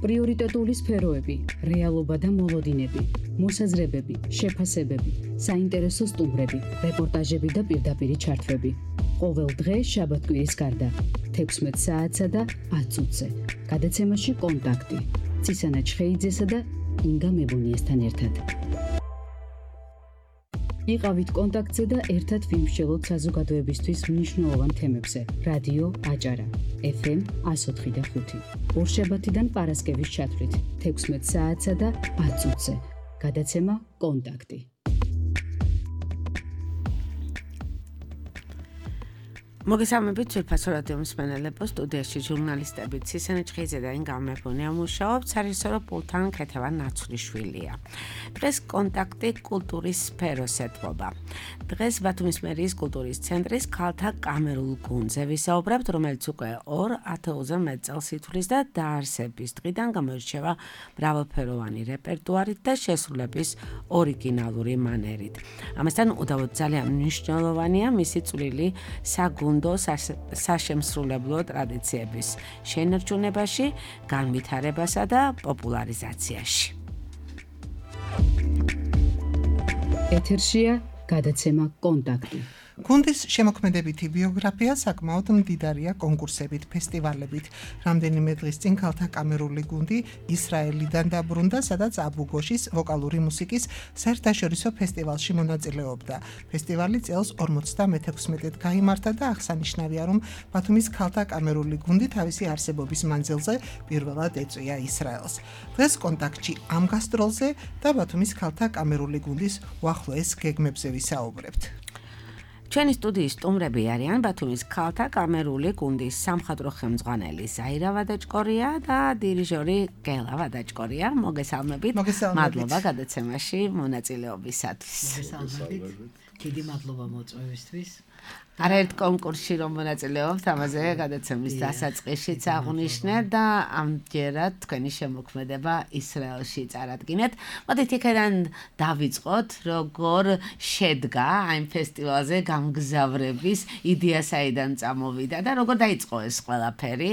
პრიორიტეტული სფეროები, რეალობა და მოლოდინები, მოსაზრებები, შეფასებები, საინტერესო სტუმრები, რეპორტაჟები და პირდაპირი ჩართვები. ყოველ დღე შაბათ-კვირის გარდა 16 საათსა და 10 წუთზე. გადაცემაში კონტაქტი. ცისანა ჩხეიძესა და ინგა მებუნიესთან ერთად. იყავით კონტაქტზე და ერთად ვიმსჯელოთ საზოგადოებისთვის მნიშვნელოვან თემებზე. რადიო აჭარა, FM 104.5. ორშაბათიდან პარასკევის ჩათვლით 16 საათსა და 10 წუთზე. გადაცემა კონტაქტი. მოგესალმებით ძვირფასო რადიო მსმენელებო, სტუდიაში ჟურნალისტები ცისანა ჩხეიძე და ინგა მებუნია მუშაობთ, სარისორო პულთან ქეთევან ნაცვლიშვილია. დღეს კონტაქტი კულტურის სფეროს ეთმობა. დღეს ბათუმის მერიის კულტურის ცენტრის ქალთა კამერულ გუნდზე ვისაუბრებთ, რომელიც უკვე 2000-ზე მეტ წელს ითვლის და დაარსების დღიდან გამოირჩევა მრავალფეროვანი რეპერტუარით და შესრულების ორიგინალური მანერით. ამასთან უდავოდ ძალიან მნიშვნელოვანია მისი წვლილი საშემსრულებლო ტრადიციების შენარჩუნებაში, განვითარებასა და პოპულარიზაციაში. ეთერშია გადაცემა კონტაქტი. გუნდის შემოქმედებითი ბიოგრაფია საკმაოდ მდიდარია კონკურსებით, ფესტივალებით. რამდენიმე დღის წინ ქალთა კამერული გუნდი ისრაელიდან დაბრუნდა, სადაც აბუ-გოშის ვოკალური მუსიკის საერთაშორისო ფესტივალში მონაწილეობდა. ფესტივალი წელს 56-ად გაიმართა და აღსანიშნავია, რომ ბათუმის ქალთა კამერული გუნდი თავისი არსებობის მანძილზე პირველად ეწვია ისრაელს. დღეს კონტაქტში ამ გასტროლზე და ბათუმის ქალთა კამერული გუნდის უახლოეს გეგმებზე ვისაუბრებთ. ჩვენი სტუდიის სტუმრები არიან ბათუმის ქალთა კამერული გუნდის სამხატვრო ხელმძღვანელი ზაირა ვადაჭკორია და დირიჟორი გელა ვადაჭკორია. მოგესალმებით. მადლობა გადაცემაში მონაწილეობისათვის. მოგესალმებით. დიდი მადლობა მოწვევისთვის. არაერთ კონკურსში რომ მონაწილეობთ, ამაზე გადაცემის დასაწყისშიც აღვნიშნეთ და ამჯერად თქვენი შემოქმედება ისრაელში წარადგინეთ. მოდით იქიდან დავიწყოთ, როგორ შედგა ამ ფესტივალზე გამგზავრების იდეა, საიდან წამოვიდა და როგორ დაიწყო ეს ყველაფერი.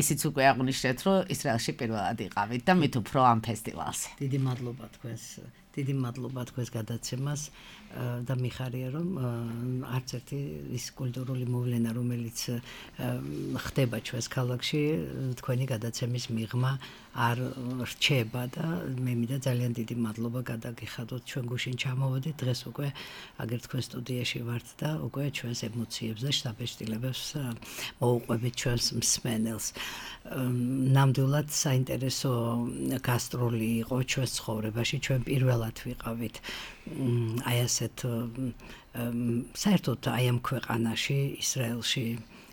ისიც უკვე აღვნიშნეთ, რომ ისრაელში პირველად იყავით და მით უფრო ამ ფესტივალზე. დიდი მადლობა თქვენს გადაცემას და მიხარია, რომ არც ერთი ის კულტურული მოვლენა, რომელიც ხდება ჩვენს ქალაქში, თქვენი გადაცემის მიღმა არ რჩება და მე მინდა ძალიან დიდი მადლობა გადაგიხადოთ. ჩვენ გუშინ ჩამოვედით, დღეს უკვე აგერ თქვენ სტუდიაში ვართ და უკვე ჩვენს ემოციებს და შთაბეჭდილებებს მოუყვებით ჩვენს მსმენელს. ნამდვილად საინტერესო გასტროლი იყო ჩვენს ცხოვრებაში. ჩვენ პირველად ვიყავით აი ასეთ საერთოდ აი ამ ქვეყანაში, ისრაელში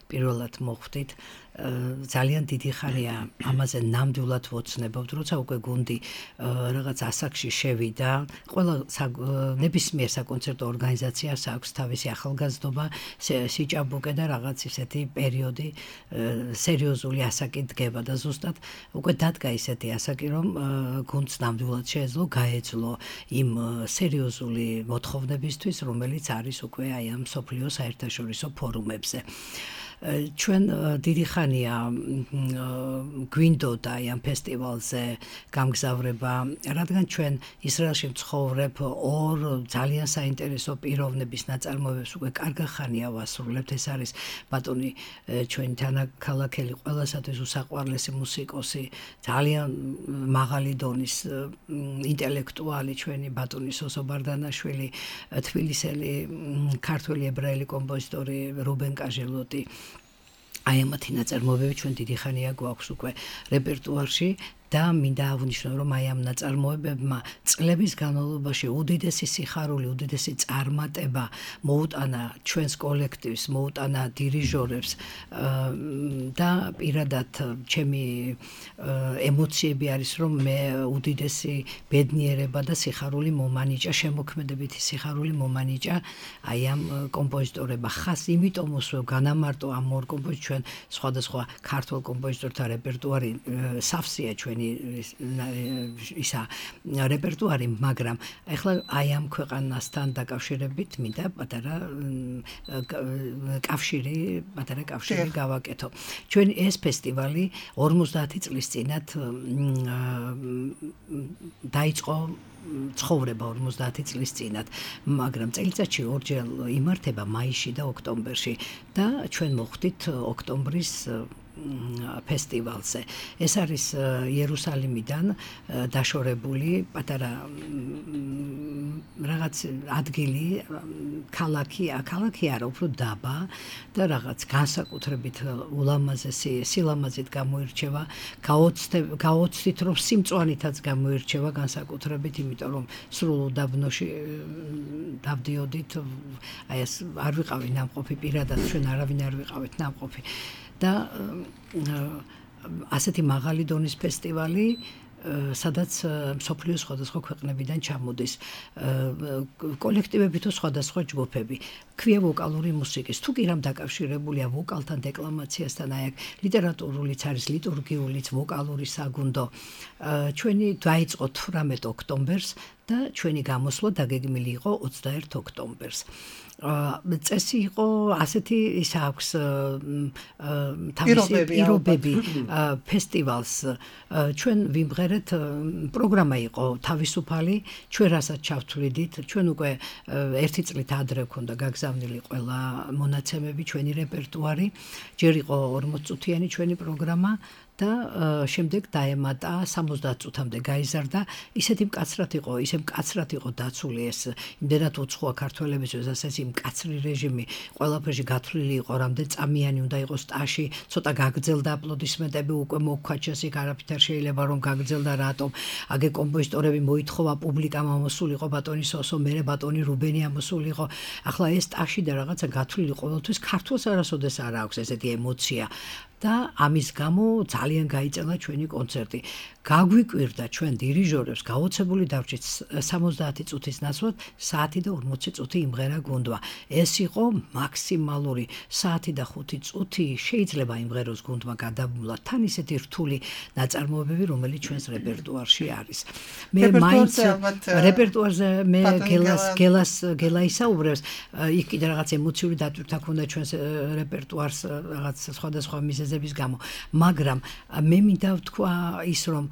პირველად მოხვდით. ძალიან დიდი ხანია ამაზე ნამდვილად ვოცნებობთ, როცა უკვე გუნდი რაღაც ასაკში შევიდა. ყველა ნებისმიერ საკონცერტო ორგანიზაციას აქვს თავისი ახალგაზრდობა, სიჭაბუკე და რაღაც ისეთი პერიოდი, სერიოზული ასაკი დგება და ზუსტად უკვე დადგა ისეთი ასაკი, რომ გუნდს ნამდვილად შეეძლო გაეძლო იმ სერიოზული მოთხოვნებისთვის, რომელიც არის უკვე აი ამ მსოფლიო საერთაშორისო ფორუმებზე. ჩვენ დიდი ხანია გვინდოდა ამ ფესტივალზე გამგზავრება, რადგან ჩვენ ისრაელში ვცხოვრებ, ორ ძალიან საინტერესო პიროვნების ნაწარმოებებს უკვე კარგი ხანია ვასრულებთ. ეს არის ბატონი ჩვენი თანაქალაქელი, ყველასათვის უსაყვარლესი მუსიკოსი, ძალიან მაღალი დონის ინტელექტუალი ჩვენი ბატონი სოსო ბარდანაშვილი, თბილისელი ქართველი ებრაელი კომპოზიტორი რუბენ კაჟელოტი. აი ამათი ნაწარმოებები ჩვენ დიდი ხანია გვაქვს უკვე რეპერტუარში და მინდა აღვნიშნო, რომ აი ამ ნაწარმოებებმა წლების განმავლობაში უდიდესი სიხარული, უდიდესი წარმატება მოუტანა ჩვენს კოლექტივს, მოუტანა დირიჟორებს და პირადად ჩემი ემოციები არის, რომ მე უდიდესი ბედნიერება და სიხარული მომანიჭა, შემოქმედებითი სიხარული მომანიჭა აი ამ კომპოზიტორებმა. ხას იმიტომ მოსვევ განამარტო ამ ორ კომპოზიტორს, ჩვენ სხვადასხვა ქართულ კომპოზიტორთა რეპერტუარი სავსეა ჩვენ ჩვენი ისა რეპერტუარი, მაგრამ ეხლა აი ამ ქვეყანასთან დაკავშირებით მინდა პატარა კავშირი გავაკეთო. ჩვენ ეს ფესტივალი 50 წლის წინათ დაიწყო ცხოვრება 50 წლის წინათ, მაგრამ წელიწადში ორჯერ იმართება მაისში და ოქტომბერში და ჩვენ მოხვდით ოქტომბრის ფესტივალზე. ეს არის იერუსალიმიდან დაშორებული პატარა რაღაც ადგილი, ქალაქი არა, უფრო დაბა და რაღაც განსაკუთრებით ულამაზესი სილამაზით გამოირჩევა, გაოცდით რომ სიმწვანითაც გამოირჩევა განსაკუთრებით, იმიტომ რომ სრულ უდაბნოში დავდიოდით, აი ეს არ ვიყავი ნამყოფი პირადად, ჩვენ არავინ არ ვიყავით ნამყოფი. და ასეთი მაღალი დონის ფესტივალი, სადაც მსოფლიოს სხვადასხვა ქვეყნებიდან ჩამოდის კოლექტივები თუ სხვადასხვა ჯგუფები. ქვია ვოკალური მუსიკის, თუ კი რამ დაკავშირებულია ვოკალთან, დეკლამაციასთან, აი აქ ლიტერატურულიც არის, ლიტურგიულიც, ვოკალური საგუნდო. ჩვენი დაიწყო 18 ოქტომბერს და ჩვენი გამოსვლა დაგეგმილი იყო 21 ოქტომბერს. წესი იყო ასეთი, ის აქვს თავისი პირობები ფესტივალს. ჩვენ ვიმღერეთ, პროგრამა იყო თავისუფალი, ჩვენ რასაც ჩავთვლიდით, ჩვენ უკვე ერთი წლით ადრე ქონდა გაგზავნილი ყველა მონაცემები, ჩვენი რეპერტუარი, ჯერ იყო 40 წუთიანი ჩვენი პროგრამა და შემდეგ დაემატა 70 წუთამდე გაიზარდა. ისე მკაცრად იყო დაცული ეს, იმდენად უცხოა ქართველებისთვის, ასეთი მკაცრი რეჟიმი, ყველაფერში გათვლილი იყო, რამდენ წამიანი უნდა იყოს სტაჟი, ცოტა გაგრძელდა აპლოდისმენტები, უკვე მოგქვაჩეს იქ არაფერ შეიძლება რომ გაგრძელდა, რატომ? აგე კომპოზიტორები მოითხოვა, პუბლიკამ ამოსულიყო, ბატონი სოსო, მერე ბატონი რუბენი ამოსულიყო. ახლა ეს სტაჟი და რაღაცა გათვლილი ყოველთვის ქართულს არასოდეს არ აქვს ესეთი ემოცია. და ამის გამო ძალიან გაიწელა ჩვენი კონცერტი. გაგვიკვირდა ჩვენ დირიჟორებს გაოცებული დავრჩით 70 წუთის ნაცვლად საათი და 40 წუთი იმღერა გუნდმა. ეს იყო მაქსიმალური საათი და 5 წუთი შეიძლება იმღეროს გუნდმა გადაბმულად თან ისეთი რთული ნაწარმოებები, რომელიც ჩვენს რეპერტუარში არის. მე მაინც რეპერტუარზე მე გელა ისაუბრებს, იქ კიდე რაღაც ემოციური დატვირთვა ქონდა ჩვენს რეპერტუარს რაღაც სხვადასხვა მიზეზების გამო, მაგრამ მე მინდა ვთქვა ის, რომ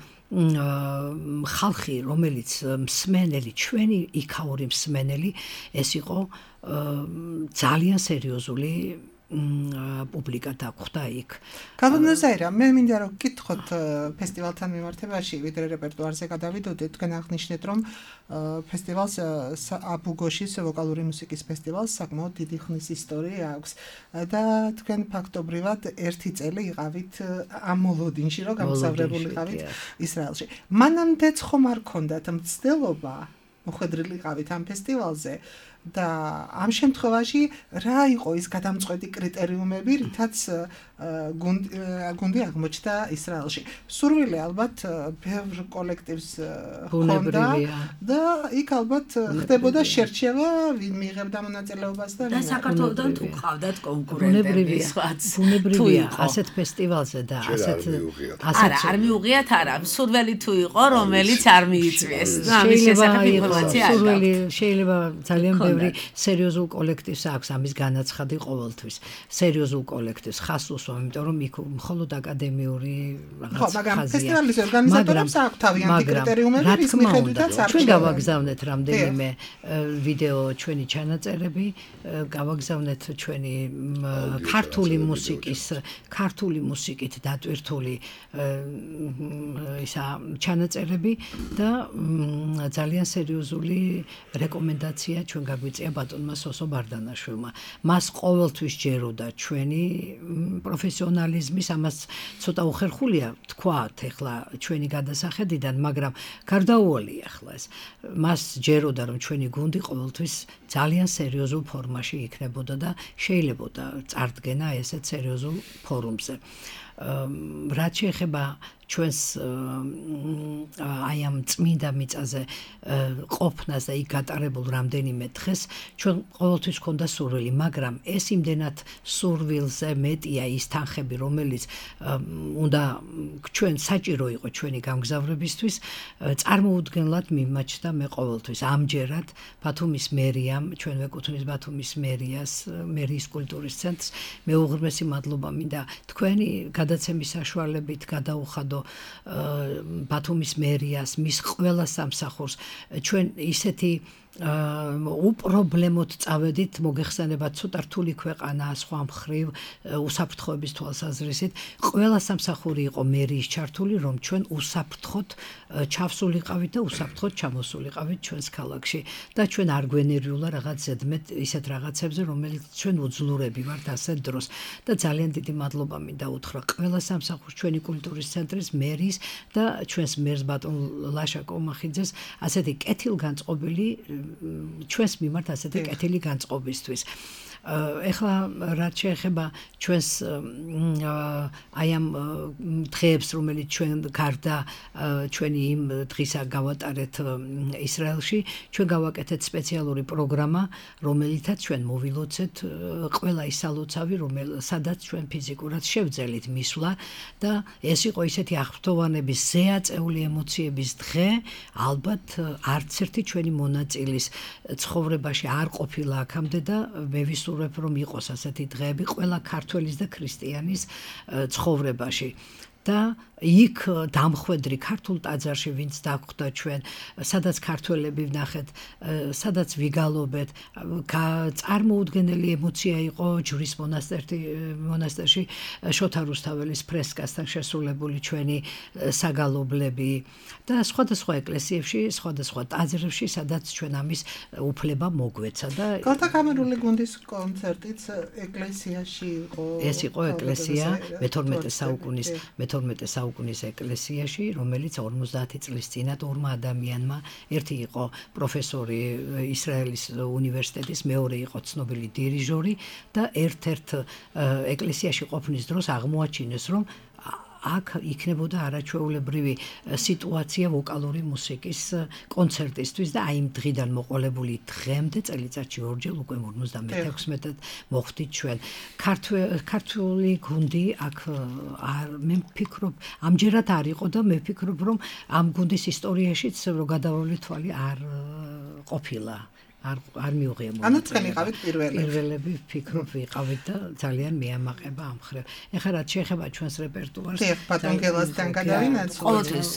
ხალხი, რომელიც მსმენელი, ჩვენი იქაური მსმენელი, ეს იყო ძალიან სერიოზული პუბლიკა დაგვხვდა იქ. გალონოზაირა, მე მინდა რომ გკითხოთ ფესტივალთან მიმართებაში, ვიდრე რეპერტუარზე გადავიდოდეთ, თქვენ აღნიშნეთ, რომ ფესტივალს აბუგოშის ვოკალური მუსიკის ფესტივალს საკმაოდ დიდი ხნის ისტორია აქვს და თქვენ ფაქტობრივად ერთი წელი იყავით ამ მოლოდინში, რომ გამოსავრებული იყავით ისრაელში. მანამდეც ხომ არ ქონდათ მცდელობა მოხვედრილი იყავით ამ ფესტივალზე? და ამ შემთხვევაში რა იყო ის გადამწყვეტი კრიტერიუმები, რითაც გუნდი აღმოჩნდა ისრაელში? სურვილი ალბათ ბევრ კოლექტივს ჰქონდა და იქ ალბათ ხდებოდა შერჩევა, ვინ მიიღებდა მონაწილეობას და ვინ. და საქართველოსთან თუ ყავდათ კონკურენტები, ბუნებრივია ასეთ ფესტივალზე და ასეთ არ მიუღიათ არა, სურველი თუ იყო, რომელიც არ მიიწვიეს. ამის შესახებ ინფორმაცია არ გაქვს. შეიძლება ძალიან ბევრი სერიოზულ კოლექტივს აქვს ამის განაცხადი ყოველთვის. სერიოზულ კოლექტივს ხას უსვამ, იმიტომ რომ იქ მხოლოდ აკადემიური რაღაც ხაზია. მაგრამ ფესტივალის ორგანიზატორებს აქვს თავიანთი კრიტერიუმები, რის მიხედვითაც არჩევენ. ჩვენ გავაგზავნეთ რამდენიმე ვიდეო ჩვენი ჩანაწერები, გავაგზავნეთ ჩვენი ქართული მუსიკით დატვირთული ისა ჩანაწერები და ძალიან სერიოზული რეკომენდაცია ჩვენ გაგვიწია ბატონმა სოსო ბარდანაშვილმა. მას ყოველთვის ჯეროდა ჩვენი პროფესიონალიზმის, ამას ცოტა უხერხულია თქვათ ახლა ჩვენი გადასახედიდან, მაგრამ გარდაუვალია ახლა ეს. მას ჯეროდა რომ ჩვენი გუნდი ყოველთვის ძალიან სერიოზულ ფორმაში იქნებოდა და შეიძლებოდა წარდგენა ესეთ სერიოზულ ფორუმზე. რაც შეეხება ჩვენს აი ამ წმინდა მიწაზე ყოფნას და იქ გატარებულ რამდენიმე დღეს ჩვენ ყოველთვის ქონდა სურვილი, მაგრამ ეს იმდენად სურვილზე მეტია ის თანხები, რომელიც უნდა ჩვენ საჭირო იყო ჩვენი გამგზავრებისთვის, წარმოუდგენლად მიმაჩნდა მე ყოველთვის. ამჯერად ბათუმის მერიამ, ჩვენ ვეკუთვნის ბათუმის მერიის კულტურის ცენტრს, მე უღრმესი მადლობა მინდა თქვენი გადაცემის საშუალებით გადაუხადო ბათუმის მერიას, მის ყველა სამსახურს. ჩვენ ისეთი უპრობლემოდ წავედით, მოგეხსენებათ ცოტა რთული ქვეყანა სხვა მხრივ უსაფრთხოების თვალსაზრისით, ყველა სამსახური იყო მერიის ჩართული, რომ ჩვენ უსაფრთხოდ ჩავსულიყავით და უსაფრთხოდ ჩამოსულიყავით ჩვენს ქალაქში და ჩვენ არ გვენერიულა რაღაც ზედმეტ ისეთ რაღაცებზე, რომელიც ჩვენ უძლურები ვართ ასეთ დროს და ძალიან დიდი მადლობა მინდა უთხრა ყველა სამსახურს, ჩვენი კულტურის ცენტრის მერიის და ჩვენს მერს ბატონ ლაშა კომახიძეს ასეთი კეთილგანწყობილი ჩვენს მიმართ ასეთი კეთილი განწყობისთვის. ეხლა რაც შეეხება ჩვენს აი ამ დღეებს, რომელიც ჩვენ გარდა ჩვენი იმ დღისა გავატარეთ ისრაელში, ჩვენ გავაკეთეთ სპეციალური პროგრამა, რომელითაც ჩვენ მოვილოცეთ ყველა ის სალოცავი, სადაც ჩვენ ფიზიკურად შევძელით მისვლა და ეს იყო ისეთი აღფრთოვანების ზეაწეული ემოციების დღე, ალბათ არც ერთი ჩვენი მონაწილის ცხოვრებაში არ ყოფილა აქამდე და მე ვისურვებ, რომ იყოს ასეთი დღეები ყველა ქართველის და ქრისტიანის ცხოვრებაში. და იქ დამხვედრი ქართულ ტაძარში ვინც დაგვხვდა ჩვენ, სადაც ქართველები ვნახეთ, სადაც ვიგალობეთ, წარმოუდგენელი ემოცია იყო ჯვრის მონასტერში შოთა რუსთაველის ფრესკასთან შესრულებული ჩვენი საგალობლები და სხვადასხვა ეკლესიებში, სხვადასხვა ტაძრებში, სადაც ჩვენ ამის უფლება მოგვეცა და კალთაკამერული გუნდის კონცერტიც ეკლესიაში იყო. ეს იყო ეკლესია მე-12 საუკუნის ეკლესიაში, რომელიც 50 წლის წინათ ორმა ადამიანმა, ერთი იყო პროფესორი ისრაელის უნივერსიტეტის, მეორე იყო ცნობილი დირიჟორი და ერთ-ერთ ეკლესიაში ყოფნის დროს აღმოაჩინეს, რომ აქ იქნებოდა არაჩვეულებრივი სიტუაცია ვოკალური მუსიკის კონცერტისთვის და აი იმ დღიდან მოყოლებული დღემდე წელიწადში ორჯერ უკვე 56-ად მოხვდით ჩვენ. ქართული გუნდი აქ მე ვფიქრობ, ამჯერად არ იყო და მე ვფიქრობ, რომ ამ გუნდის ისტორიაშიც რო გადავავლი თვალი არ ყოფილა. არ მიუღია მოწესრიგება. ანუ თქვენ იყავით პირველები ვფიქრობ ვიყავით და ძალიან მეამაყება ამ ხრევ. ეხლა რაც შეეხება ჩვენს რეპერტუარს, ბატონ გელასთან გადავინაცვლოთ. ყოველთვის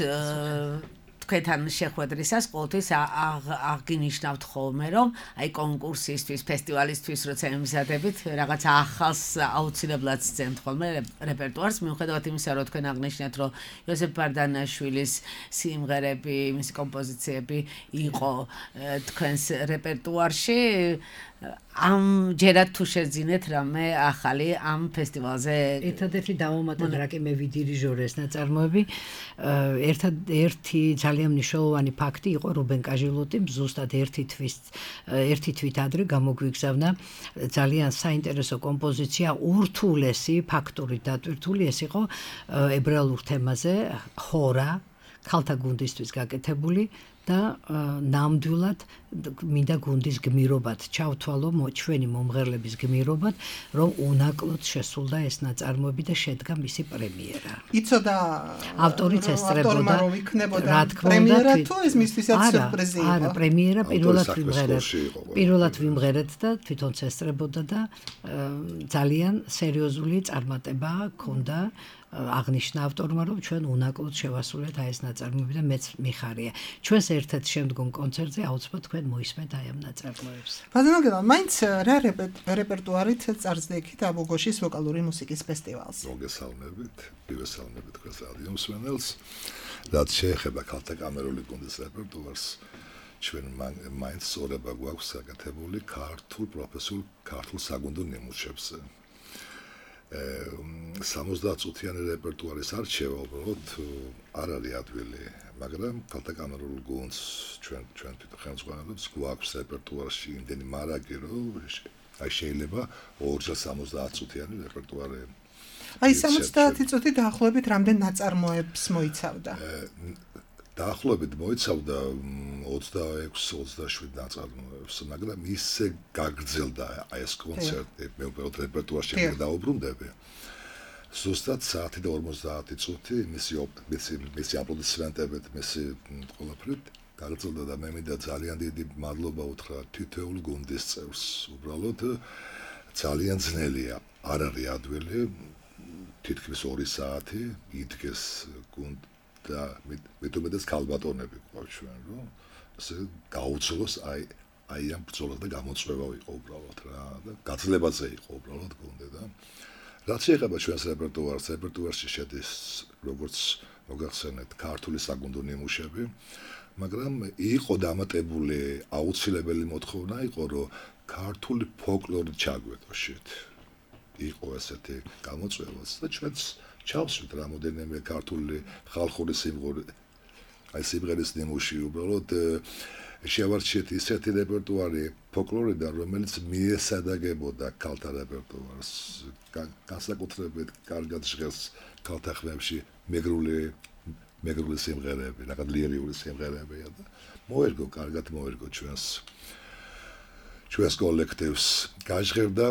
თქვენთან შეხვედრისას ყოველთვის აღინიშნავთ ხოლმე, რომ აი კონკურსისთვის, ფესტივალისთვის როცა ემზადებით, რაღაც ახალს აუცილებლად სცემთ ხოლმე რეპერტუარს, მიუხედავად იმისა, რომ თქვენ აღნიშნეთ, რომ იოსებ ბარდანაშვილის სიმღერები, მისი კომპოზიციები იყო თქვენს რეპერტუარში. ამჯერად თუ შეძინეთ რამე ახალი ამ ფესტივალზე ერთადერთი დავამატეთ რა კი მე ვიდირიჟორე ეს ნაწარმოები ერთი ძალიან მნიშვნელოვანი ფაქტი იყო რუბენ კაჟილოტიმ ზუსტად ერთი თვით ადრე გამოგვიგზავნა ძალიან საინტერესო კომპოზიცია ურთულესი ფაქტური დატვირთული ეს იყო ებრაულ თემაზე ხორა ქალთა გუნდისთვის გაკეთებული და ნამდვილად მინდა გუნდის გმირობად ჩავთვალო ჩვენი მომღერლების გმირობად რომ უნაკლოდ შესულდა ეს ნაწარმოები და შედგა მისი პრემიერა. იცოდა ავტორიც ესწრებოდა რა თქმა უნდა პრემიერა თუ ეს მისთვისაც სიურპრიზი იყო. არა, პრემიერა პირველად ვიმღერეთ და თვითონ ესწრებოდა და ძალიან სერიოზული წარმატება ჰქონდა. აღნიშნა ავტორმა რომ ჩვენ უნაკლოდ შევასრულეთ აი ეს ნაწარმოები და მეც მიხარია. ჩვენს ერთ-ერთ შემდგომ კონცერტზე აუცილებლად თქვენ მოისმენთ აი ამ ნაწარმოებს. ბაზანოგელა, მაინც რა რეპერტუარით წარსდგით აბუგოშის ვოკალური მუსიკის ფესტივალს? მოგესალმებით, მივესალმებით თქვენს რადიო მსმენელს. რაც შეეხება ქალთა კამერული გუნდის რეპერტუარს, ჩვენ მაინც სწორება გვაქვს გაკეთებული ქართულ საგუნდო ნიმუშებზე. 70 წუთიანი რეპერტუარის არჩევა უბრალოდ არ არის ადვილი, მაგრამ ქალთა კამერულ გუნდს ჩვენ თვითონ ხელმძღვანელობს გვაქვს რეპერტუარში იმდენი მარაგი, რომ აი შეიძლება 2 70 წუთიანი რეპერტუარი აი 70 წუთი დაახლოებით რამდენ ნაწარმოებს მოიცავდა? დაახლოებით მოიცავდა 26-27 ნაწარმოებს, მაგრამ ისე გაგრძელდა ეს კონცერტი, მე უბრალოდ რეპერტუარში დავუბრუნდები. ზუსტად 1 და 50 წუთი მისი აპლოდისმენტებით, მისი ყველაფრით გაგრძელდა და მე მინდა ძალიან დიდი მადლობა უთხრა თითოეულ გუნდის წევრს. უბრალოდ ძალიან ძნელია, არ არის ადვილი, თითქმის 2 საათი იდგეს გუნდ და მეტუმეტეს ქალბატონები ყავს ჩვენ, რომ ასე გაუძლოს აი ამ ბრძოლას და გამოწვევა იყო უბრალოდ რა და გაძლებაზე იყო უბრალოდ გუნდი და რაც შეეხება ჩვენს რეპერტუარში შედის როგორც მოგახსენეთ ქართული საგუნდო ნიმუშები, მაგრამ იყო დამატებული აუცილებელი მოთხოვნა იყო რომ ქართული ფოლკლორი ჩაგვეტოშეთ. იყო ესეთი გამოწვევაც და ჩვენც ჩავსვით რამოდენიმე ქართული ხალხური სიმღერის ნიმუში უბრალოდ შევარჩიეთ ისეთი რეპერტუარი ფოლკლორიდან, რომელიც მიესადაგებოდა ქალთა რეპერტუარს. განსაკუთრებით კარგად ჟღერს ქალთა ხმებში მეგრული სიმღერები, რაღაც ლირიული სიმღერებია და კარგად მოერგო ჩვენს კოლექტივს. გაჟღერდა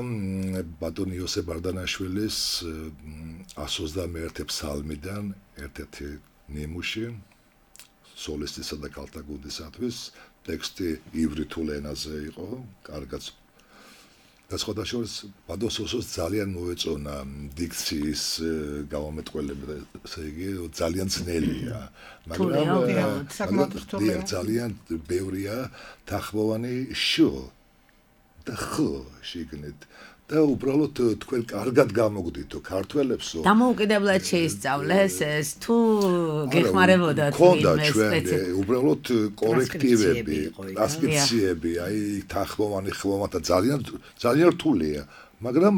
ბატონ იოსებ ბარდანაშვილის 121 ფსალმიდან ერთ-ერთი ნიმუში სოლისტისა და ქალთა გუნდისათვის. ტექსტი ივრითულ ენაზე იყო, კარგად. და სხვადასხვა ბადოსოსოს ძალიან მოეწონა დიქციის გამომეტყველება, ესე იგი ძალიან ძნელია, მაგრამ ძალიან ბევრია თახმოვანი შო და ხო შეგნით და უბრალოდ თქვენ კარგად გამოგდითო ქართველებსო. დამოუკიდებლად შეისწავლეს ეს თუ გეხმარებოდათ ვინმე უბრალოდ კორექტივები, ტრანსკრიფციები, აი თახმოვანი ხმოვანთა ძალიან რთულია, მაგრამ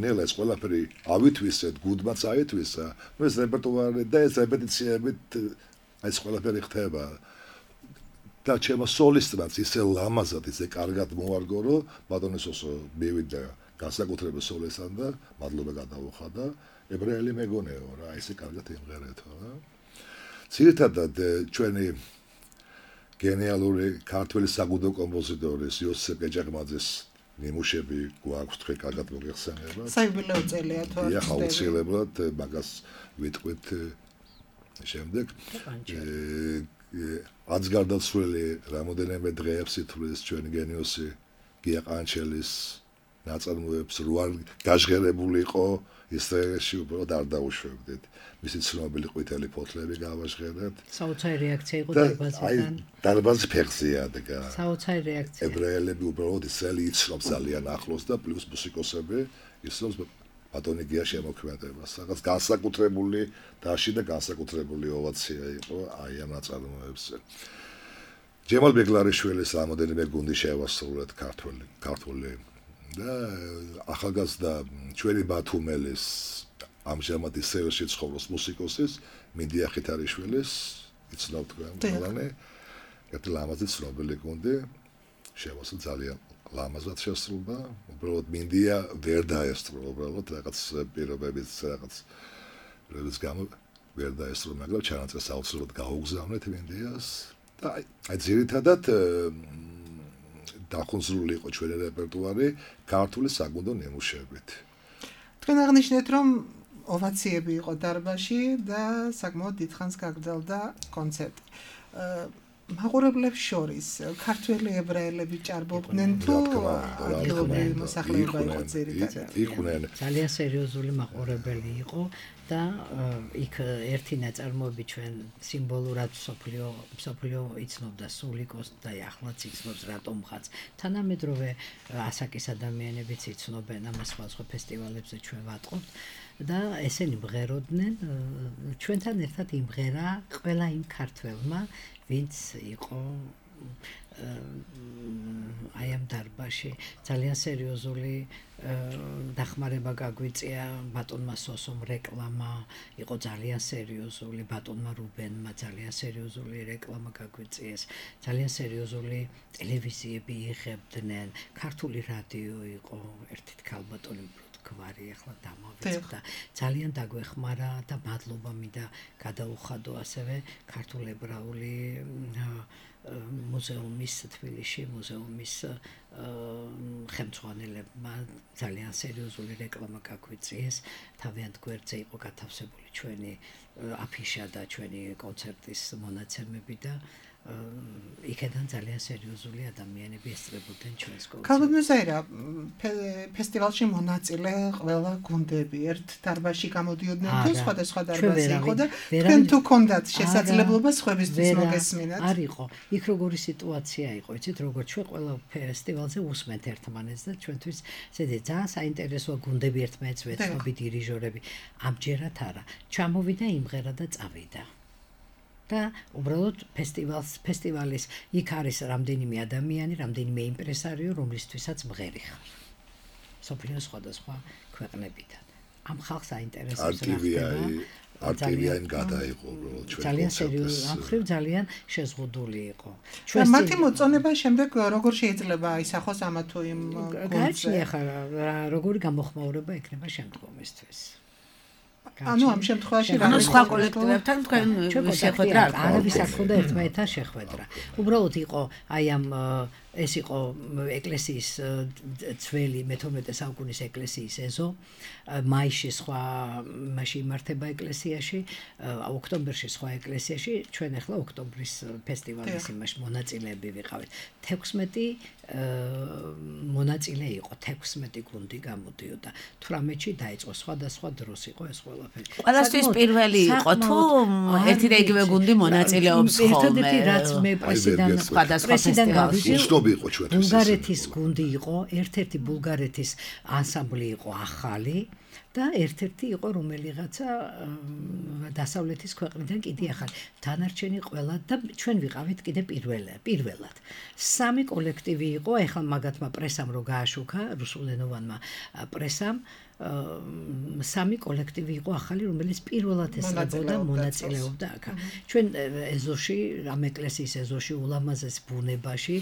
ნელ ეს ყველაფერი ავითვისეთ, გუნდმაც აითვისა, ეს რეპერტუარი და ეს რეპეტიციებით ეს ყველაფერი ხდება. და ჩემო სოლისტმაც ისე ლამაზად, ისე კარგად მოარგო, რომ ბატონესოსო მივიდა განსაკუთრებულ სოლისტთან და მადლობა გადაუხადა, ებრაელი მეგონეო რა, ისე კარგად იმღერეთო რა. ძირითადად ჩვენი გენიალური ქართველი საგუნდო კომპოზიტორის იოსებ კეჭაყმაძის ნიმუშები გვაქვს თქვენ კარგად მოგეხსენებათ. საიუბილეო წელია თუ არა? დიახ, აუცილებლად მაგას ვიტყვით შემდეგ. აც გარდაცვლილი რამოდენიმე დღეებს ითვლის ჩვენი გენიოსი გია ყანჩელის ნაწარმოებს რო არ გაჟღერებული იყო ისრაელში უბრალოდ არ დაუშვებდით. მისი ცნობილი ყვითელი ფოთლები გავაჟღერეთ. საოცარი რეაქცია იყო დარბაზიდან. დარბაზი ფეხზეა დგა. საოცარი რეაქცია. ებრაელები უბრალოდ ისრაელი იცნობს ძალიან ახლოს და პლუს მუსიკოსები იცნობს ბატონი გია შემოქმედებას. რაღაც განსაკუთრებული დაში და განსაკუთრებული ოვაცია იყო აი ამ ნაწარმოებზე. ჯემალ ბეგლარიშვილის რამოდენიმე გუნდი შევასრულეთ ქართული და ახალგაზრდა ჩვენი ბათუმელის ამჟამად ისრაელში ცხოვრობს მუსიკოსის მინდია ხითარიშვილის იცნობთ ყველანი ერთი ლამაზი ცნობილი გუნდი შევასრულა ძალიან ლამაზად შესრულდა უბრალოდ მინდია ვერ დაესწრო უბრალოდ რაღაც პირობების გამო ვერ დაესწრო მაგრამ ჩანაწერს აუცილებლად გაუგზავნეთ მინდიას და აი ძირითადად დახუნზრული იყო ჩვენი რეპერტუარი ქართული საგუნდო ნიმუშებით. თქვენ აღნიშნეთ რომ ოვაციები იყო დარბაზში და საკმაოდ დიდხანს გაგრძელდა კონცერტი. მაყურებლებს შორის ქართველი ებრაელები ჭარბობდნენ თუ ადგილობრივი მოსახლეობა იყო ძირითადად? იყვნენ. ძალიან სერიოზული მაყურებელი იყო და იქ ერთი ნაწარმოები ჩვენ სიმბოლურად მსოფლიო იცნობდა სულიკოს და ახლაც იცნობს რატომღაც. თანამედროვე ასაკის ადამიანებიც იცნობენ ამას სხვა ფესტივალებზე ჩვენ ვატყობთ. და ესენი მღეროდნენ ჩვენთან ერთად იმღერა ყველა იმ ქართველმა ვინც იყო აი ამ დარბაზში ძალიან სერიოზული დახმარება გაგვიწია ბატონმა სოსომ რეკლამა იყო ძალიან სერიოზული ბატონმა რუბენმა ძალიან სერიოზული რეკლამა გაგვიწიეს ძალიან სერიოზული ტელევიზიები იღებდნენ ქართული რადიო იყო ერთით ქალბატონი გვარი ახლა დამავიწყდა და ძალიან დაგვეხმარა და მადლობა მინდა გადაუხადო ასევე ქართულ ებრაული მუზეუმის თბილისში მუზეუმის ხელმძღვანელებმა ძალიან სერიოზული რეკლამა გაგვიწიეს თავიანთ გვერდზე იყო გათავსებული ჩვენი აფიშა და ჩვენი კონცერტის მონაცემები და იქედან ძალიან სერიოზული ადამიანები ესწრებოდნენ ჩვენს კონცერტს. ქალბატონო ფესტივალში მონაწილე ყველა გუნდები ერთ დარბაზში გამოდიოდნენ თუ სხვადასხვა დარბაზი იყო და თქვენ თუ გქონდათ შესაძლებლობა სხვებისთვის მოგესმინათ? არ იყო. იქ როგორი სიტუაცია იყო, იცით, როგორც ჩვენ ყველა ფესტივალზე უსმენთ ერთმანეთს და ჩვენთვის ზედა ძალიან საინტერესოა გუნდები ერთმანეთს ვეცნობი დირიჟორები. ამჯერად არა. ჩამოვიდა იმღერა და წავიდა. და უბრალოდ ფესტივალის იქ არის რამდენიმე ადამიანი, რამდენიმე იმპრესარიო, რომლისთვისაც მღერი ხარ. სოფლიოს სხვადასხვა ქვეყნებიდან. ამ ხალხს აინტერესებს არტივიაინ გადაიყო უბრალოდ ჩვენ ძალიან სერიოზული, ამ ხრივ ძალიან შეზღუდული იყო. ჩვენ მათი მოწონება შემდეგ როგორ შეიძლება ისახოს ამა თუ იმ გააჩნია ხარ როგორი გამოხმაურება ექნება შემდგომისთვის. ანუ ამ შემთხვევაში რა სხვა კოლექტივებთან თქვენ შეხვედრა არავის არ ქონდა ერთმანეთთან შეხვედრა. უბრალოდ იყო აი ამ ეს იყო ეკლესიის ძველი მე-12 საუკუნის ეკლესიის ეზო. მაისში სხვა მასში იმართება ეკლესიაში, ოქტომბერში სხვა ეკლესიაში, ჩვენ ახლა ოქტომბრის ფესტივალის იმაში მონაწილეები ვიყავით. 16 მონაწილე იყო, 16 გუნდი გამოდიოდა. 18-ში დაიწყო სხვადასხვა დროს იყო ეს ყველაფერი. ყველასთვის პირველი იყო თუ ერთი და იგივე გუნდი მონაწილეობს ხოლმე. ერთადერთი რაც მე პრესიდან სხვადასხვა იყო ჩვენთვის ბულგარეთის გუნდი იყო, ერთ-ერთი ბულგარეთის ანსამბლი იყო ახალი და ერთ-ერთი იყო რომელიღაცა დასავლეთის ქვეყნიდან კიდე ახალი. დანარჩენი ყველა და ჩვენ ვიყავით კიდე პირველად. 3 კოლექტივი იყო, ეხლა მაგათმა პრესამ რო გააშუქა, რუსულენოვანმა პრესამ 3 კოლექტივი იყო ახალი, რომელიც პირველად ესწრებოდა მონაწილეობდა აქ. ჩვენ ეზოში, ამ ეკლესიის ეზოში, ულამაზეს ბუნებაში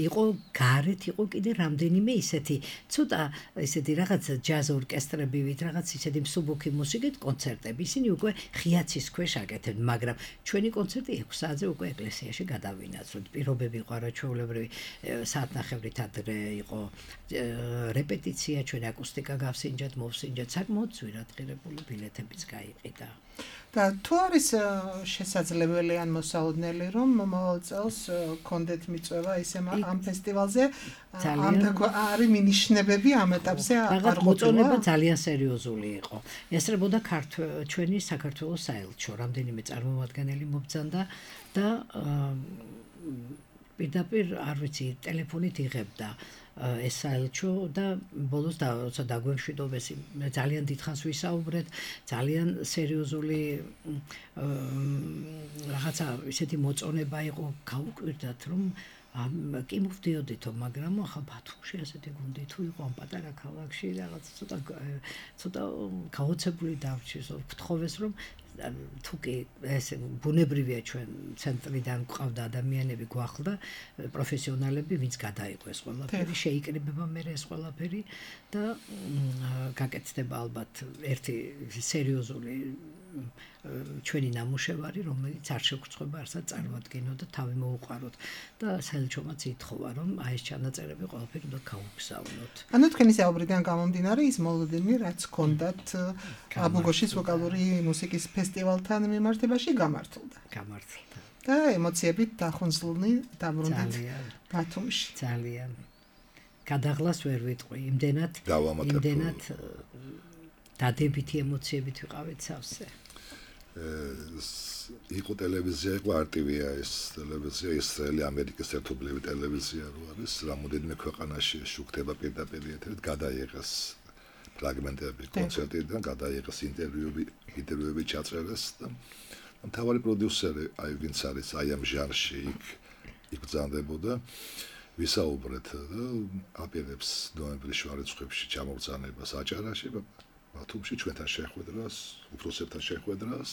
იყო გარეთ იყო კიდე რამდენიმე ისეთი, ცოტა ისეთი რაღაც ჯაზ ორკესტრებივით, რაღაც ისეთი მსუბუქი მუსიკით კონცერტები. ისინი უკვე ღია ცის ქვეშ აკეთებდნენ, მაგრამ ჩვენი კონცერტი 6 საათზე უკვე ეკლესიაში გადავინაცვლეთ. პირობები იყო არაჩვეულებრივი, საათნახევრით ადრე იყო რეპეტიცია, ჩვენ აკუსტიკა გავსინჯეთ, მოვსინჯეთ, საკმაოდ ძვირად ღირებული ბილეთებიც გაიყიდა. და თუ არის შესაძლებელი ან მოსალოდნელი რომ მომავალ წელს კონდეთ მიწვევა ისე ამ ფესტივალზე არის მინიშნებები ამ ეტაპზე არ მოწონება ძალიან სერიოზული იყო. ესწრებოდა ჩვენი საქართველოს საელჩო, რამდენიმე წარმომადგენელი მობრძანდა და პირდაპირ არ ვიცი, ტელეფონით იღებდა ეს საელჩო და ბოლოს როცა დაგვემშვიდობეს ძალიან დიდხანს ვისაუბრეთ, ძალიან სერიოზული რაღაცა ისეთი მოწონება იყო, გავუკვირდათ რომ კი მოვდიოდითო, მაგრამ ახლა ბათუმში ასეთი გუნდი თუ იყო ამ პატარა ქალაქში რაღაც ცოტა გაოცებული დავრჩეს, ვთხოვეს რომ თუკი ეს ბუნებრივია ჩვენ ცენტრიდან გვყავდა ადამიანები გვახლდა პროფესიონალები ვინც გადაიყო ეს ყველაფერი შეიკრიბება მე ეს ყველაფერი და გაკეთდება ალბათ ერთი სერიოზული ჩვენი ნამუშევარი რომელიც არ შეგვწყვება არსად წარმოადგინოთ და თავი მოუყაროთ და საელჩომაც ითხოვა რომ აი ეს ჩანაწერები ყველაფერი უნდა გავუგზავნოთ. ანუ თქვენი საუბრიდან გამომდინარე ის მოლოდინი რაც ჰქონდათ აბუგოშის ვოკალური მუსიკის ფესტივალთან მიმართებაში გამართლდა. და ემოციებით დახუნძლნი დაბრუნდით ბათუმში. ძალიან. გადაღლას ვერ ვიტყვი, იმდენად დადებითი ემოციებით ვიყავით სავსე. იყო ტელევიზია, იყო RTV-ა ეს ტელევიზია, ისრაელი ამერიკის ერთობლივი ტელევიზია რო არის, რამოდენიმე ქვეყანაში შუქდება პირდაპირ ეთერით, გადაიღეს ფრაგმენტები კონცერტიდან, გადაიღეს ინტერვიუები ჩაწერეს და მთავარი პროდიუსერი, აი ვინც არის აი ამ ჟანრში იქ ბრძანდებოდა, ვისაუბრეთ და აპირებს ნოემბრის შუარიცხვებში ჩამოგზავნებას აჭარაში, ბათუმში ჩვენთან შეხვედრას, უფროსებთან შეხვედრას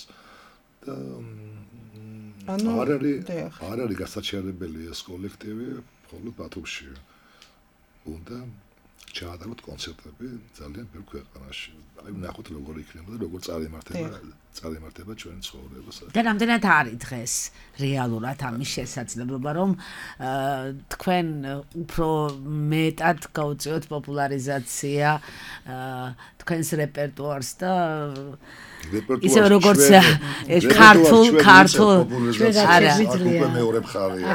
და არ არის გასაჩერებელი ეს კოლექტივი, მხოლოდ ბათუმში უნდა ჩაატაროთ კონცერტები ძალიან ბევრ ქვეყანაში. აი ნახოთ როგორ იქნება და როგორ წარიმართება ჩვენი ცხოვრება. და რამდენად არის დღეს რეალურად ამის შესაძლებლობა, რომ თქვენ უფრო მეტად გაუწიოთ პოპულარიზაცია თქვენს რეპერტუარს და ისე როგორც ქართულ არა მეორე მხარია.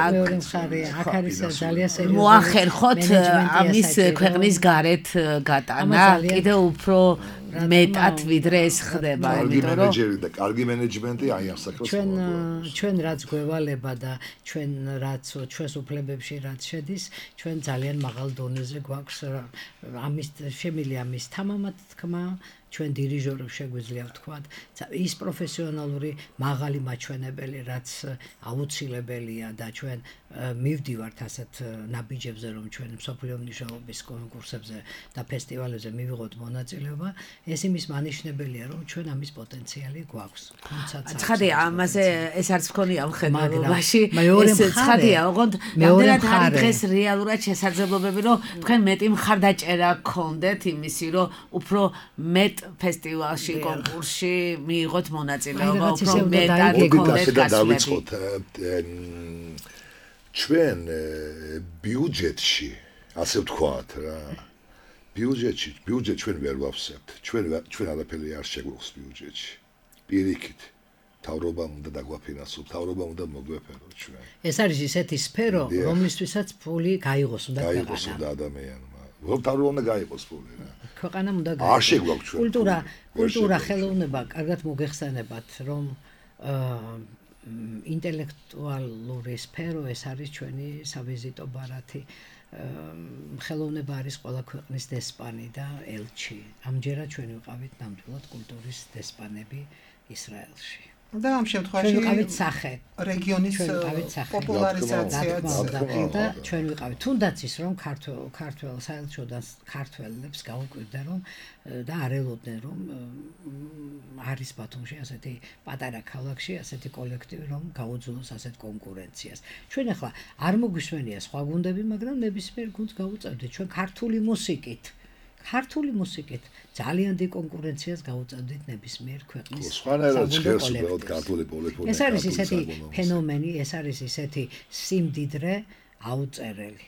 აქ არის ძალიან სერიოზული მოახერხოთ ამის ქვეყნის გარეთ გატანა კიდევ უფრო მეტად ვიდრე ეს ხდება, იმიტომ რომ კარგი მენეჯმენტი აი ამ საქმეს ჩვენ რაც გვევალება და ჩვენ რაც ჩვენს უფლებებში რაც შედის, ჩვენ ძალიან მაღალ დონეზე გვაქვს ამის შემილი ამის თამამად თქმა ჩვენ დირიჟორებს შეგვიძლია ვთქვათ, ის პროფესიონალური მაღალი მაჩვენებელი, რაც აუცილებელია და ჩვენ მივდივართ ასეთ ნაბიჯებზე, რომ ჩვენ მსოფლიო მნიშვნელობის კონკურსებზე და ფესტივალებზე მივიღოთ მონაწილეობა, ეს იმის მანიშნებელია, რომ ჩვენ ამის პოტენციალი გვაქვს. ცხადია, ამაზე ეს არც მქონია მხედველობაში. ეს ცხადია, ოღონდ რამდენად არის დღეს რეალურად შესაძლებლობები, რომ თქვენ მეტი მხარდაჭერა გქონდეთ იმისი, რომ უფრო მეტ ფესტივალში, კონკურსში მიიღოთ მონაწილეობა, უფრო მეტად გქონდეთ დავიწყოთ ჩვენ ბიუჯეტში, ასე ვთქვათ რა. ბიუჯეტ ჩვენ ვერ ვავსებთ. ჩვენ არაფერი არ შეგვაქვს ბიუჯეტში. პირიქით თავრობამ უნდა დაგვაფინანსოს, თავრობამ უნდა მოგვეფეროს ჩვენ. ეს არის ისეთი სფერო, რომლისთვისაც ფული გაიღოს უნდა გაიღოს უნდა ადამიანმა. თავრობამ უნდა გაიღოს ფული რა. ქვეყანამ უნდა გაიღოს. არ შეგვაქვს ჩვენ. კულტურა, ხელოვნება, კარგად მოგეხსენებათ, რომ ინტელექტუალური სფერო ეს არის ჩვენი სავიზიტო ბარათი. ხელოვნება არის ყველა ქვეყნის დესპანი და ელჩი. ამჯერად ჩვენ ვიყავით ნამდვილად კულტურის დესპანები ისრაელში. და ამ შემთხვევაში ვიყავით სახე რეგიონის პოპულარიზაციაც და ჩვენ ვიყავით თუნდაც ის რომ ქართველ საელჩოდან ქართველებს გაუკვირდა რომ და არელოდნენ რომ არის ბათუმში ასეთი პატარა ქალაქში ასეთი კოლექტივი რომ გაუძლოს ასეთ კონკურენციას. ჩვენ ახლა არ მოგვისმენია სხვა გუნდები, მაგრამ ნებისმიერ გუნდს გავუწევდით ჩვენ ქართული მუსიკით ძალიან დიდ კონკურენციას გაუწევდით ნებისმიერ ქვეყნის სხვანაირად ჟღერს უბრალოდ ქართული პოლიფონია. ეს არის ისეთი ფენომენი, ეს არის ისეთი სიმდიდრე აუწერელი.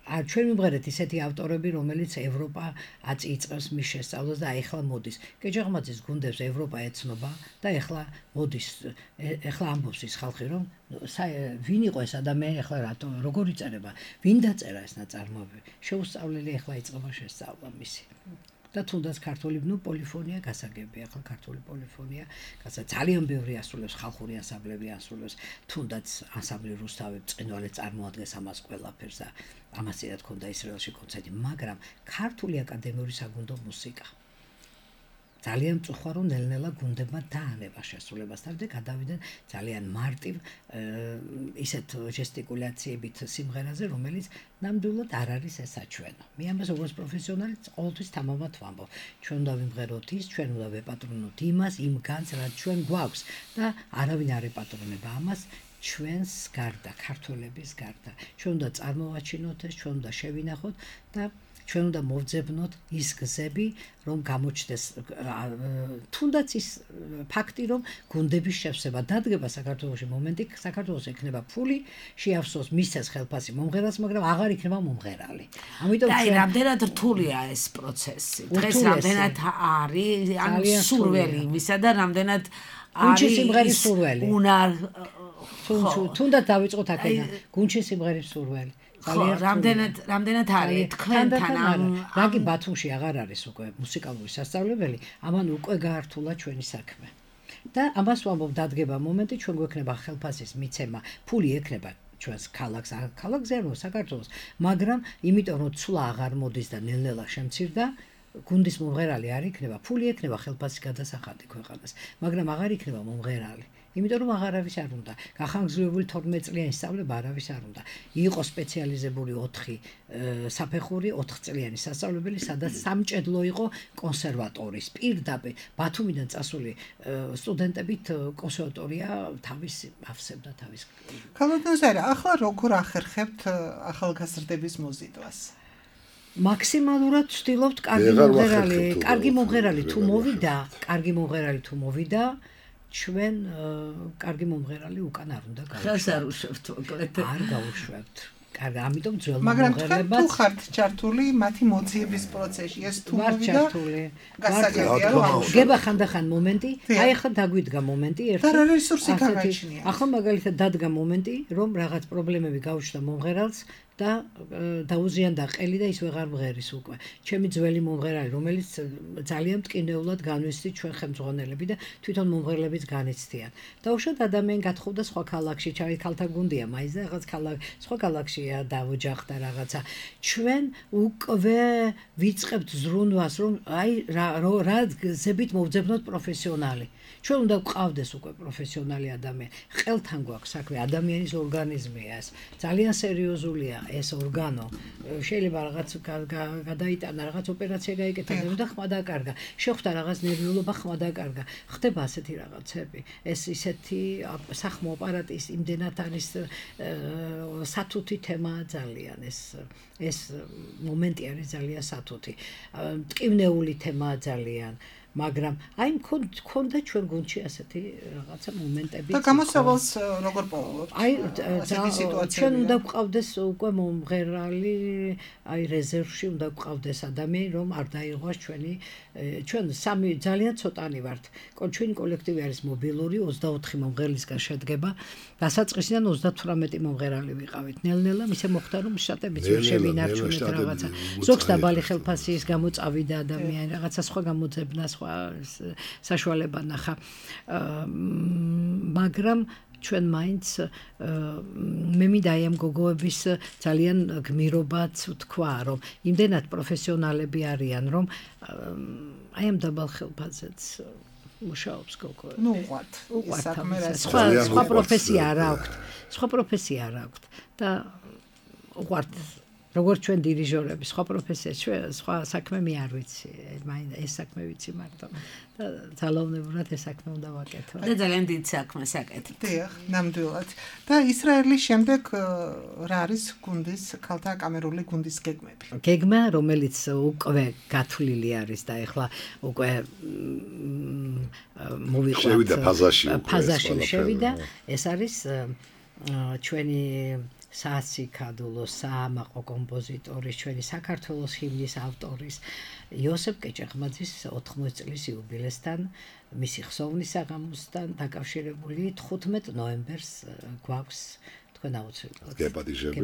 ჩვენ მივღერეთ ისეთი ავტორები, რომელიც ევროპა აწიწყებს მის შესწავლას და ეხლა მოდის. კეჯაღმაძის გუნდებს ევროპა ეცნობა და ეხლა მოდის. ეხლა ამბობს ის ხალხი, რომ ვინ იყო ეს ადამიანი, ეხლა რატო როგორ იწერება, ვინ დაწერა ეს ნაწარმოები. შეუსწავლელი ეხლა იწყება შესწავლა მისი. და თუნდაც ქართული პოლიფონია გასაგებია, ახლა ქართული პოლიფონია ძალიან ბევრი ასრულებს, ხალხური ანსამბლები ასრულებს, თუნდაც ანსამბლი რუსთავი წყინვალე წარმოადგენს ამას ყველაფერს და ამასიათ ქონდა ისრაელში კონცერტი, მაგრამ ქართული აკადემიური საგუნდო მუსიკა ძალიან მწუხარ რომ ნელ-ნელა გუნდებმა დაანება შესრულებასთან და გადავიდნენ ძალიან მარტივ ისეთ ჟესტიკულაციებით სიმღერაზე, რომელიც ნამდვილად არ არის ესაჩვენო. მე ამას როგორც პროფესიონალი ყოველთვის თამამად ვამბობ. ჩვენ უნდა ვიმღეროთ ის, ჩვენ უნდა ვეპატრონოთ იმას, იმ განს, რაც ჩვენ გვაქვს და არავინ არ ეპატრონება ამას. ჩვენს გარდა, ქართველების გარდა. ჩვენ უნდა წარმოვაჩინოთ ეს, ჩვენ უნდა შევინახოთ და ჩვენ უნდა მოვძებნოთ ის გზები, რომ გამოჩნდეს თუნდაც ის ფაქტი, რომ გუნდების შევსება დადგება საქართველოში მომენტი, საქართველოს ექნება ფული, შეავსოს მისცეს ხელფასი მომღერალს, მაგრამ აღარ იქნება მომღერალი. ამიტომ ჩვენ რამდენად რთულია ეს პროცესი. დღეს რამდენად არის ანუ სურველი იმისა და რამდენად გუნჩი სიმღერის სურველი. უნარ თუნდაც დავიწყოთ აქედან. გუნჩი სიმღერის სურველი. რამდენად არის თქვენთან რაგი ბათუმში აღარ არის უკვე მუსიკალური სასწავლებელი, ამან უკვე გაართულა ჩვენი საქმე. და ამას ვამბობ, დადგება მომენტი, ჩვენ გვექნება ხელფასის მიცემა, ფული ექნება ჩვენს ქალაქზე არ საქართველოს, მაგრამ იმიტომ რომ ცვლა აღარ მოდის და ნელ-ნელა შემცირდა, გუნდის მომღერალი არ იქნება, ფული ექნება ხელფასის გადასახადი ქვეყანას, მაგრამ აღარ იქნება მომღერალი. იმიტომ რომ აღარავის არ უნდა. გახანგრძლივებული 12 წლიანი სწავლება არავის არ უნდა. იყო სპეციალიზებული 4 საფეხური 4 წლიანი სასწავლებელი, სადაც სამჭედლო იყო კონსერვატორის. პირდაპირ ბათუმიდან წასული სტუდენტებით კონსერვატორია თავის ავსებდა თავის. ქალბატონო ზარა, ახლა როგორ ახერხებთ ახალგაზრდების მოზიდვას? მაქსიმალურად ვცდილობთ კარგი მომღერალი თუ მოვიდა, ჩვენ კარგი მომღერალი უკან არ უნდა გავუშვათ. ხას არ უშვებთ მოკლედ. არ გავუშვებთ. კარგი, ამიტომ ძველ მაგრამ მომღერლებად თუ ხართ ჩართული მათი მოძიების პროცესში, ეს თუ ვარ მოვიდა ჩართული. გასაგებია რომ გება ხანდახან მომენტი, აი ახლა დაგვიდგა მომენტი ერთი. და რა რესურსი გაგაჩნია? ახლა მაგალითად დადგა მომენტი, რომ რაღაც პრობლემები გაუჩნდა მომღერალს და დაუზიანდა ყელი და ის ვეღარ მღერის უკვე. ჩემი ძველი მომღერალი, რომელიც ძალიან მტკინეულად განვიცდი ჩვენ ხელმძღვანელები და თვითონ მომღერლებიც განიცდიან. დაუშვათ ადამიანი გათხოვდა სხვა ქალაქში, ჩავი ქალთა გუნდია, მაინც რაღაც სხვა ქალაქშია დავოჯახდა რაღაცა. ჩვენ უკვე ვიწყებთ ზრუნვას, რომ აი რა გზებით მოვძებნოთ პროფესიონალი. ჩვენ უნდა გვყავდეს უკვე პროფესიონალი ადამიანი. ყელთან გვაქვს საქმე, ადამიანის ორგანიზმია ეს. ძალიან სერიოზულია ეს ორგანო. შეიძლება რაღაც გადაიტანა, რაღაც ოპერაცია გაიკეთა და ხმა დაკარგა. შეხვდა რაღაც ნერვიულობა, ხმა დაკარგა. ხდება ასეთი რაღაცები. ეს ისეთი სახმო აპარატის იმდენად არის სათუთი თემაა ძალიან ეს მომენტი არის ძალიან სათუთი. მტკივნეული თემაა ძალიან. მაგრამ აი მქონდა ჩვენ გუნდში ასეთი რაღაცა მომენტები და გამოსავალს როგორ პოულობთ? აი ჩვენ უნდა გვყავდეს უკვე მომღერალი, აი რეზერვში უნდა გვყავდეს ადამიანი, რომ არ დაიღოს ჩვენ სამი ძალიან ცოტანი ვართ. ჩვენი კოლექტივი არის მობილური, 24 მომღერლისგან შედგება. დასაწყისიდან 38 მომღერალი ვიყავით. ნელ-ნელა ისე მოხდა, რომ შტატებიც ვერ შევინარჩუნეთ რაღაცა. ზოგს დაბალი ხელფასის გამო წავიდა ადამიანი, რაღაცა სხვა გამოძებნა, საშუალება ნახა. მაგრამ ჩვენ მაინც მე მინდა აი ამ გოგოების ძალიან გმირობაც ვთქვა, რომ იმდენად პროფესიონალები არიან, რომ აი ამ დაბალ ხელფასზეც მუშაობს გოგო. ნუ უყვართ. სხვა პროფესია არ აქვს. სხვა პროფესია არ აქვს და უყვართ. როგორც ჩვენ დირიჟორები, სხვა პროფესია, სხვა საქმე მე არ ვიცი. მაინდა ეს საქმე ვიცი მარტო. და ძალაუნებურად ეს საქმე უნდა ვაკეთო. და ძალიან დიდ საქმეს აკეთებთ. დიახ, ნამდვილად. და ისრაელის შემდეგ რა არის გუნდის, ქალთა კამერული გუნდის გეგმები? გეგმა, რომელიც უკვე გათვლილი არის და ეხლა უკვე მოვიყვანთ. შევიდა ფაზაში შევიდა. ეს არის ჩვენი სასიკადულო საამაყო კომპოზიტორის, ჩვენი საქართველოს ჰიმნის ავტორის იოსებ კეჭახმაძის 80 წლის იუბილესთან, მისი ხსოვნის საღამოსთან დაკავშირებული 15 ნოემბერს გვაქვს თქვენ აუცილებლად გეპატიჟებთ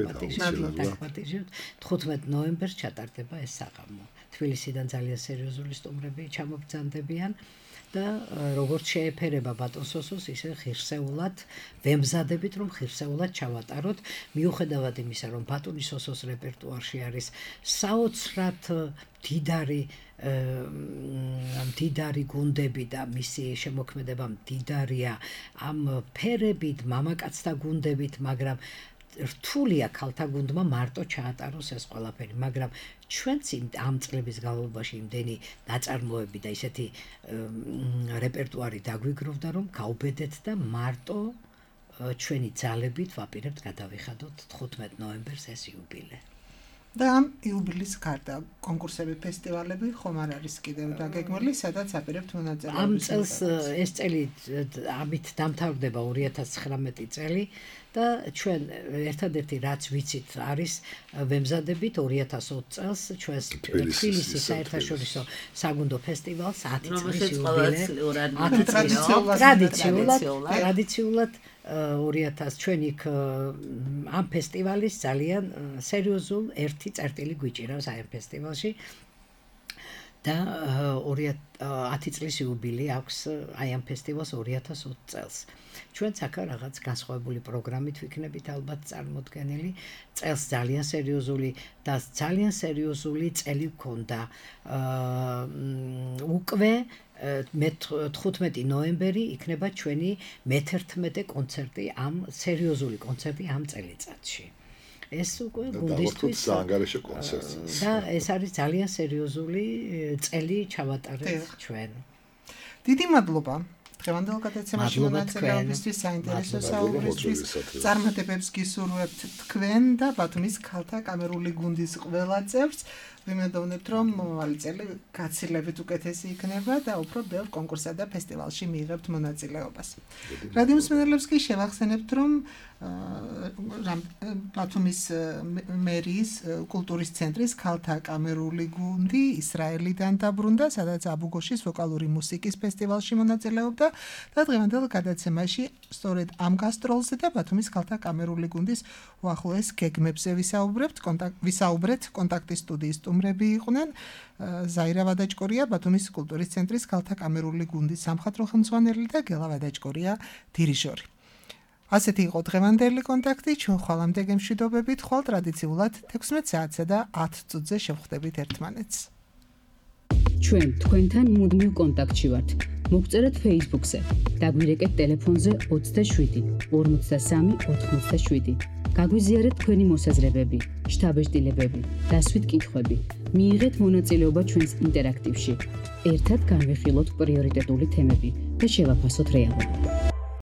15 ნოემბერს ჩატარდება ეს საღამო. თბილისიდან ძალიან სერიოზული სტუმრები ჩამობრძანდებიან. და როგორც შეეფერება ბატონს სოსოს, ისე ღირსეულად ვემზადებით, რომ ღირსეულად ჩავატაროთ, მიუხედავად იმისა, რომ ბატონის სოსოს რეპერტუარში არის საოცრად მდიდარი გუნდები და მისი შემოქმედება მდიდარია ამ ფერებით, მამაკაცთა გუნდებით, მაგრამ რთულია ქალთა გუნდმა მარტო ჩაატაროს ეს ყველაფერი, მაგრამ ჩვენც ამ წლების განმავლობაში იმდენი ნაწარმოები და ისეთი რეპერტუარი დაგვიგროვდა, რომ გავბედეთ და მარტო ჩვენი ძალებით ვაპირებთ გადავიხადოთ 15 ნოემბერს ეს იუბილე. და ამ იუბილეს გარდა კონკურსები, ფესტივალები ხომ არ არის კიდევ დაგეგმილი, სადაც აპირებთ მონაწილეობას? ამ წელს ეს წელი ამით დამთავრდება 2019 წელი და ჩვენ ერთადერთი რაც ვიცით არის ვემზადებით 2020 წელს ჩვენს თბილისის საერთაშორისო საგუნდო ფესტივალს 10 წლის იუბილე. ტრადიციულად 2000 ჩვენ იქ ამ ფესტივალის ძალიან სერიოზულ ერთი წერტილი გვიჭირავს აი ამ ფესტივალში და 10 წლის იუბილე აქვს აი ამ ფესტივალს 2020 წელს. ჩვენ აქ რაღაც განსხვავებული პროგრამით ვიქნებით ალბათ წარმოდგენილი. წელს ძალიან სერიოზული და ძალიან სერიოზული წელი გქონდა. უკვე 15 ნოემბერი იქნება ჩვენი მე-11 კონცერტი, ამ სერიოზული კონცერტი ამ წელიწადში. ეს უკვე გუნდისთვის საანგარიშო კონცერტი. და ეს არის ძალიან სერიოზული წელი ჩავატარეთ ჩვენ. დიდი მადლობა. დღევანდელ გადაცემაში მონაწილეობისთვის, საინტერესო საუბრისთვის. წარმატებებს გისურვებთ თქვენ და ბათუმის ქალთა კამერული გუნდის ყველა წევრს. ვიმედოვნებთ, რომ მომავალი წელი გაცილებით უკეთესი იქნება და უფრო ბევრ კონკურსსა და ფესტივალში მიიღებთ მონაწილეობას. რადიო მსმენელებს კი შევახსენებთ, რომ ბათუმის მერიის კულტურის ცენტრის ქალთა კამერული გუნდი ისრაელიდან დაბრუნდა, სადაც აბუგოშის ვოკალური მუსიკის ფესტივალში მონაწილეობდა და დღევანდელ გადაცემაში სწორედ ამ გასტროლზე და ბათუმის ქალთა კამერული გუნდის უახლოეს გეგმებზე ვისაუბრეთ. კონტაქტის სტუდიის სტუმრები იყვნენ ზაირა ვადაჭკორია, ბათუმის კულტურის ცენტრის ქალთა კამერული გუნდის სამხატვრო ხელმძღვანელი და გელა ვადაჭკორია, დირიჟორი. ასეთი იყო დღევანდელი კონტაქტი, ჩვენ ხვალამდე გემშვიდობებით, ხვალ ტრადიციულად 16 საათსა და 10 წუთზე შევხვდებით ერთმანეთს. ჩვენ თქვენთან მუდმივ კონტაქტში ვართ. მოგწერეთ Facebook-ზე, დაგვირეკეთ ტელეფონზე 27 53 87. გაგვიზიარეთ თქვენი მოსაზრებები, შთაბეჭდილებები, დასვით კითხვები. მიიღეთ მონაწილეობა ჩვენს ინტერაქტივში. ერთად განვიხილოთ პრიორიტეტული თემები და შევაფასოთ რეალობა.